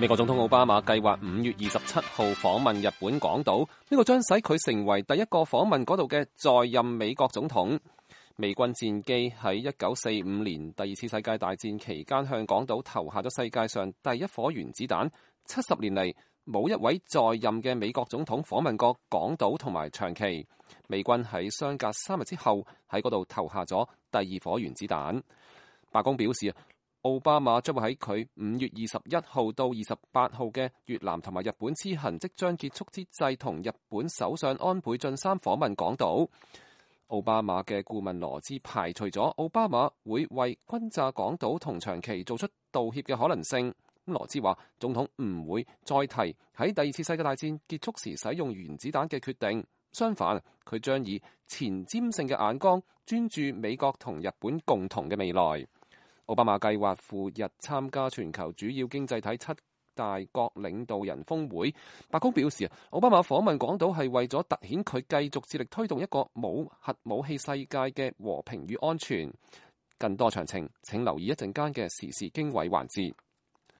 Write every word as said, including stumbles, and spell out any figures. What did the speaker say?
美國總統奧巴馬計劃五月二十七號訪問日本廣島，呢個將使佢成為第一個訪問嗰度嘅在任美國總統。美軍戰機喺一九四五年第二次世界大戰期間向廣島投下咗世界上第一顆原子彈。七十年嚟，冇一位在任嘅美國總統訪問過廣島同埋長崎。美軍喺相隔三日之後喺嗰度投下咗第二顆原子彈。白宮表示，奧巴馬將會喺佢五月二十一號到二十八號嘅越南同埋日本之行即將結束之際，同日本首相安倍晉三訪問廣島。奧巴馬嘅顧問羅茲排除咗奧巴馬會為轟炸廣島同長崎做出道歉嘅可能性。羅茲話，總統唔會再提喺第二次世界大戰結束時使用原子彈嘅決定，相反，佢將以前瞻性嘅眼光專注美國同日本共同嘅未來。奧巴馬計劃赴日參加全球主要經濟體七大國領導人峰會。白宮表示，奧巴馬訪問廣島係為咗凸顯佢繼續致力推動一個冇核武器世界嘅和平與安全。更多詳情請留意一陣間嘅時事經緯環節。